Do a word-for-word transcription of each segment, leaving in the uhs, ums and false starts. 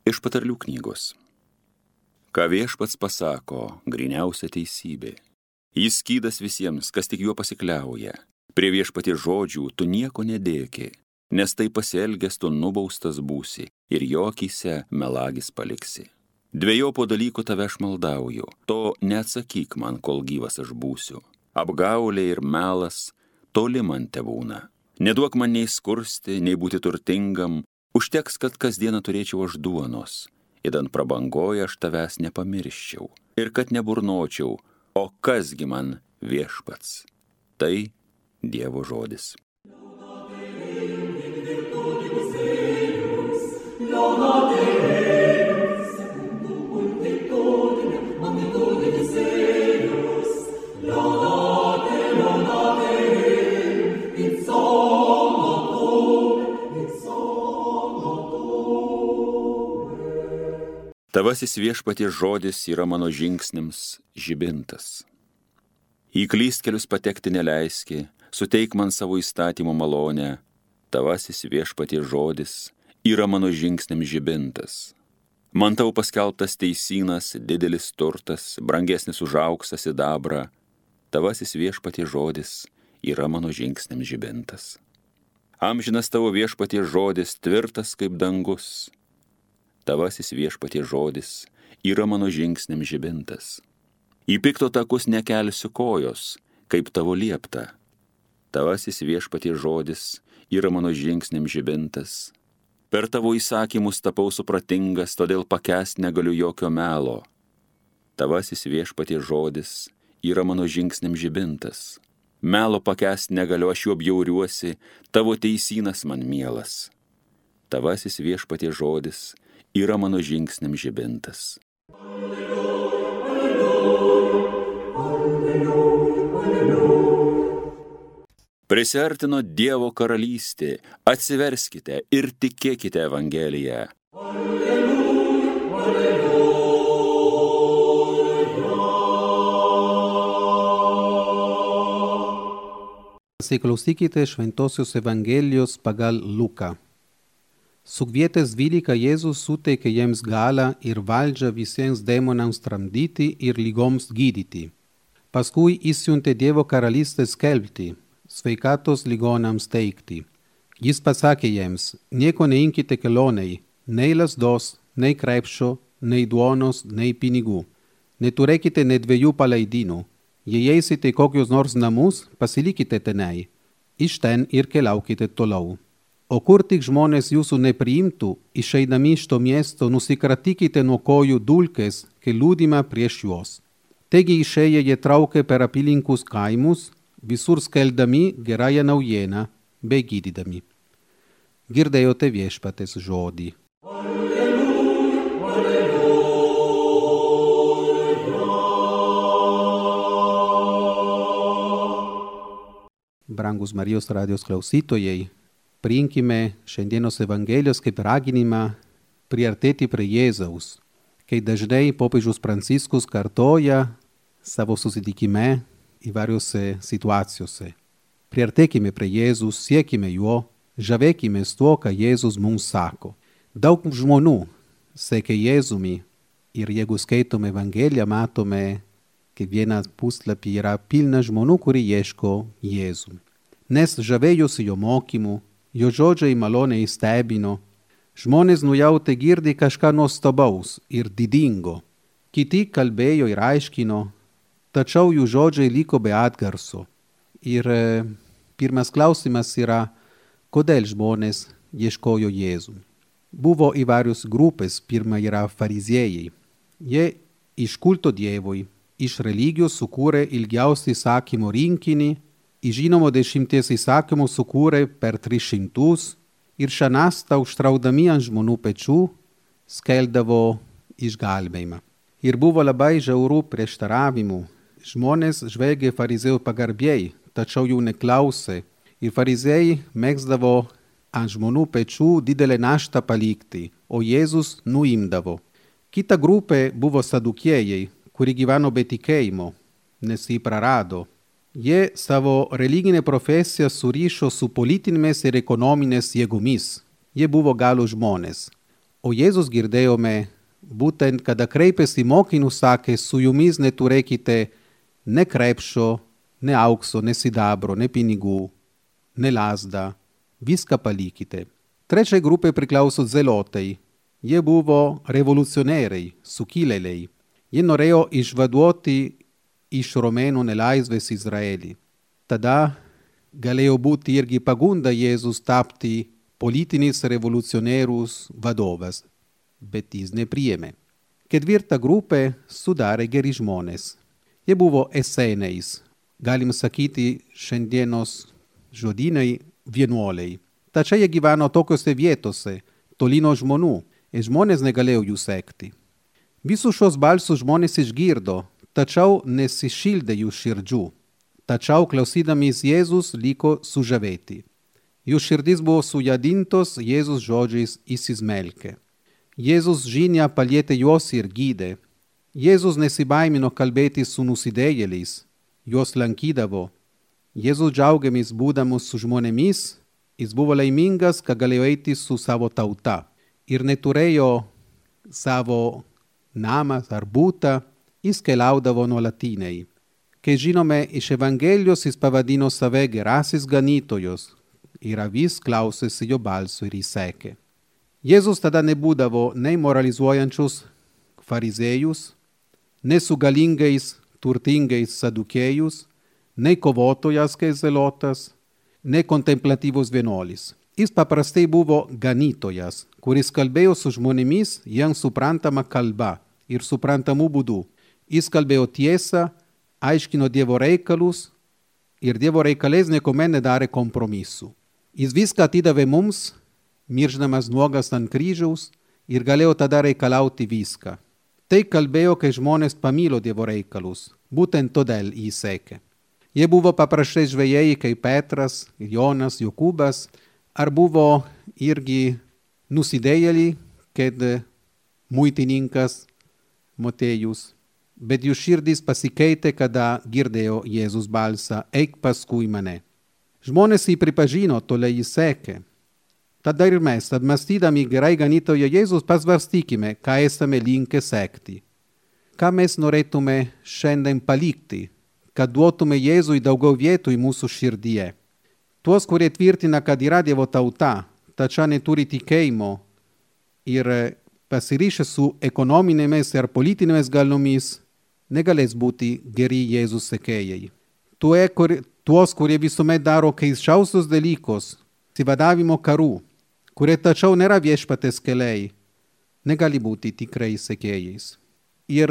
Iš patarlių knygos. Ką viešpats pasako, gryniausia teisybė. Jis skydas visiems, kas tik juo pasikliauja. Prie viešpaties žodžių tu nieko nedėki, nes tai pasielgęs tu nubaustas būsi ir jo akyse melagis paliksi. Dvejopo dalykų tave aš maldauju, to neatsakyk man, kol gyvas aš būsiu. Apgaulė ir melas toli man tebūna. Neduok man nei skursti, nei būti turtingam, užteks, kad kasdieną turėčiau aš duonos. Idant prabangoje aš tavęs nepamirščiau ir kad neburnočiau, o kasgi man viešpats. Tai Dievo žodis. Tavasis viešpaties žodis yra mano žingsniams žibintas. Į klystkelius patekti neleiski, suteik man savo įstatymo malonę. Tavasis viešpaties žodis yra mano žingsniams žibintas. Man tau paskelbtas teisynas, didelis turtas, brangesnis už auksą sidabrą. Tavasis viešpaties žodis yra mano žingsniams žibintas. Amžinas tavo viešpaties žodis tvirtas kaip dangus. Tavasis viešpaties žodis yra mano žingsniams žibintas. Į pikto takus nekelsiu kojos, kaip tavo liepta. Tavasis viešpaties žodis yra mano žingsniams žibintas. Per tavo įsakymus tapau supratingas, todėl pakęst negaliu jokio melo. Tavasis viešpaties žodis yra mano žingsniams žibintas. Melo pakęst negaliu, aš juo bjauriuosi, tavo teisynas man mielas. Tavasis viešpaties žodis yra mano žingsniams žibintas. Prisiartino Dievo karalystė, atsiverskite ir tikėkite Evangeliją. Pasiklausykite Šventosios Evangelijos pagal Luką. Sukvietęs dvylika Jėzus suteikė jiems galią ir valdžią visiems demonams tramdyti ir lygoms gydyti. Paskui išsiuntė Dievo karalystę skelbti, sveikatos ligonams teikti. Jis pasakė jiems, nieko neimkite kelionei, nei lazdos, nei krepšio, nei duonos, nei pinigų. Neturėkite net dviejų palaidinų. Jei eisite į kokius nors namus, pasilikite tenai. Iš ten ir keliaukite toliau. O kur tik žmonės jūsų nepriimtų, išeidami iš to miesto, nusikratykite nuo kojų dulkes, kai liūdime prieš juos. Taigi išėję jie traukė per apylinkus kaimus, visur skelbdami gerąją naujieną, bei gydydami. Girdėjote viešpaties žodį. Brangus Marijos radijos klausytojai, priimkime šiandienos Evangelijos kaip raginimą priartėti prie Jėzaus, kai dažnai popiežius Pranciškus kartoja savo susitikime įvairiose situacijose. Priartėkime prie Jėzus, siekime jo, žavėkime tuo, ką Jėzus mums sako. Daug žmonių sekė Jėzumi ir jeigu skaitome Evangeliją, matome, kad vienas puslapį yra pilna žmonių, kurie ieško Jėzų. Nes žavėjosi jo mokymu, jo žodžiai maloniai stebino, žmonės nujautė girdi kažką nuostabaus ir didingo. Kiti kalbėjo ir aiškino, tačiau jų žodžiai liko be atgarso. Ir e, pirmas klausimas yra, kodėl žmonės ieškojo Jėzų. Buvo įvairios grupės, pirma yra fariziejai. Jie iš kulto Dievui, iš religijos sukūrė ilgiausią įsakymų rinkinį, iš žinomo dešimties įsakymų sukūrė per tris šimtus ir šią naštą užtraukdami ant žmonių pečių skelbdavo išgelbėjimą. Ir buvo labai žiaurių prieštaravimų. Žmonės žvelgė fariziejų pagarbiai, tačiau jų neklausė. Ir fariziejai mėgdavo ant žmonių pečių didelę naštą palikti, o Jėzus nuimdavo. Kita grupė buvo sadukėjai, kuri gyveno be tikėjimo, nes jį prarado. Jie savo religinę profesiją surišo su politinėmis ir ekonominės jėgomis. Jie buvo galų žmonės. O Jėzus girdėjome būtent, kada kreipėsi į mokinius, sakė, su jumis neturėkite ne krepšio, ne aukso, ne sidabro, ne pinigų, ne lazdą, viską palikite. Trečiai grupė priklauso zelotai. Jie buvo revoliucionieriai, sukilėliai. Jie norėjo išvaduoti iš romėnų nelaisvės Izraelį. Tada galėjo būti irgi pagunda Jėzus tapti politinis revoliucionierius vadovas, bet jis nepriėmė. Ketvirta grupė sudarė geri žmonės. Jie buvo eseniais, galim sakyti šiandienos žodynai vienuoliai. Tačiau jie gyveno tokiose vietose, toli nuo žmonių, ir žmonės negalėjo jų sekti. Visus šios balsus žmonės išgirdo, tačiau nesišildė jų širdžių. Tačiau klausydamiesi Jėzus liko sužavėti. Jų širdys buvo sujadintos Jėzus žodžiais įsismelkė. Jėzus žinia palietė juos ir gydė. Jėzus nesibaimino kalbėti su nusidėjėliais, juos lankydavo. Jėzus džiaugiamis būdamas su žmonėmis, jis buvo laimingas, kad galėjo eiti su savo tauta ir neturėjo savo namą ar butą, jis keliaudavo nuolatiniai. Kai žinome iš Evangelijos, jis pavadino save gerasis ganytojos ir avis klausėsi jo balso ir įsekė. Jėzus tada nebūdavo nei moralizuojančius farizėjus, nei su galingais, turtingais sadukėjus, nei kovotojas kaip zelotas, nei kontemplatyvus vienuolis. Jis paprastai buvo ganytojas, kuris kalbėjo su žmonėmis jiems suprantama kalba ir suprantamų būdų. Jis kalbėjo tiesą, aiškino Dievo reikalus ir Dievo reikalais niekuomet nedarė kompromisų. Jis viską atidavė mums, mirždamas nuogas ant kryžiaus ir galėjo tada reikalauti viską. Tai kalbėjo, kai žmonės pamilo Dievo reikalus, būtent todėl jį sekė. Jie buvo paprastai žvejai kaip Petras, Jonas, Jokūbas, ar buvo irgi nusidėjėliai, kaip muitininkas Motėjus. Bet jų širdys pasikeitė, kada girdėjo Jėzus balsą, eik paskui mane. Žmonės jį pripažino, toliau jį sekė. Tada ir mes, apmąstydami gerai ganytojo Jėzus, pasvarstykime, ką esame linkę sekti. Ką mes norėtume šiandien palikti, kad duotume Jėzui daugiau vietų į mūsų širdyje. Tuos, kurie tvirtina, kad yra Dievo tauta, tačiau neturi tikėjimo ir pasirišę su ekonominėmis ir politinėmis galiomis, negalės būti geri Jėzus sekėjai. Tuo, kur, tuos, kurie visuomet daro keisčiausius dalykus, sivadavimo karų, kurie tačiau nėra viešpatės keliai, negali būti tikrai sekėjais. Ir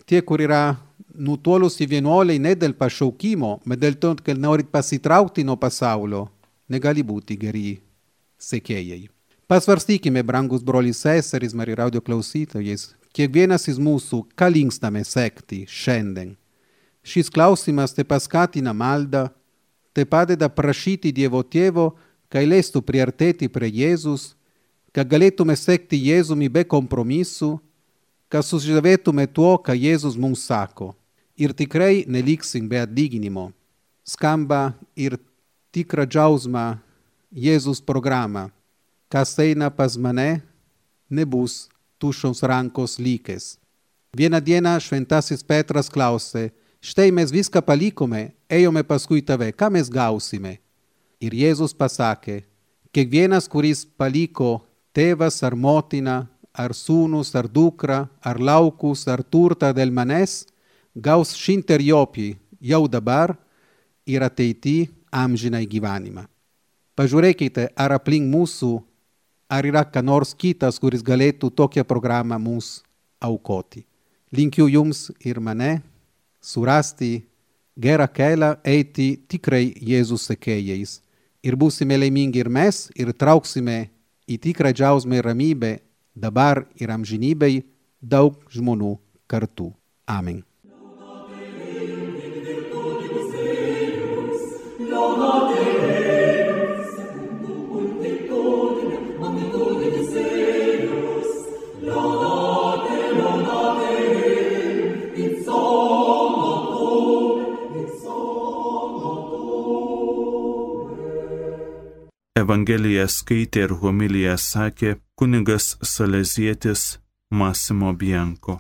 tie, kur yra nutolusi vienuoliai ne dėl pašaukimo, bet dėl to, kad nori pasitraukti nuo pasaulio, negali būti geri sekėjai. Pasvarstykime, brangus broliai seserys, Marija radio klausytojais, kiekvienas iš mūsų, ką linkstame sekti šiandien. Šis klausimas te paskatina maldą, te padeda prašyti Dievo Tėvo, kad leistų priartėti prie Jėzus, kad galėtume sekti Jėzumi be kompromisų, kad sužavėtume tuo, ką Jėzus mums sako. Ir tikrai neliksim be atlyginimo. Skamba ir tikra džiausma Jėzus programa. Kas eina pas mane, nebus tuščios rankos likęs. Vieną dieną šventasis Petras klausė, štai mes viską palikome, ėjome paskui tave, ką mes gausime? Ir Jėzus pasakė, kiekvienas, kuris paliko tėvas ar motina, ar sūnus, ar dukra, ar laukus, ar turtą dėl manęs, gaus šimterjopį jau dabar ir ateity amžinai gyvenimą. Pažiūrėkite, ar aplink mūsų, ar yra ką nors kitas, kuris galėtų tokią programą mums aukoti. Linkiu jums ir mane surasti gerą kelią eiti tikrai Jėzus sekėjais. Ir būsime laimingi ir mes, ir trauksime į tikrą džiausmę ir ramybę dabar ir amžinybei daug žmonių kartu. Amen. Evangeliją skaitė ir homiliją sakė kunigas salezietis Massimo Bianco.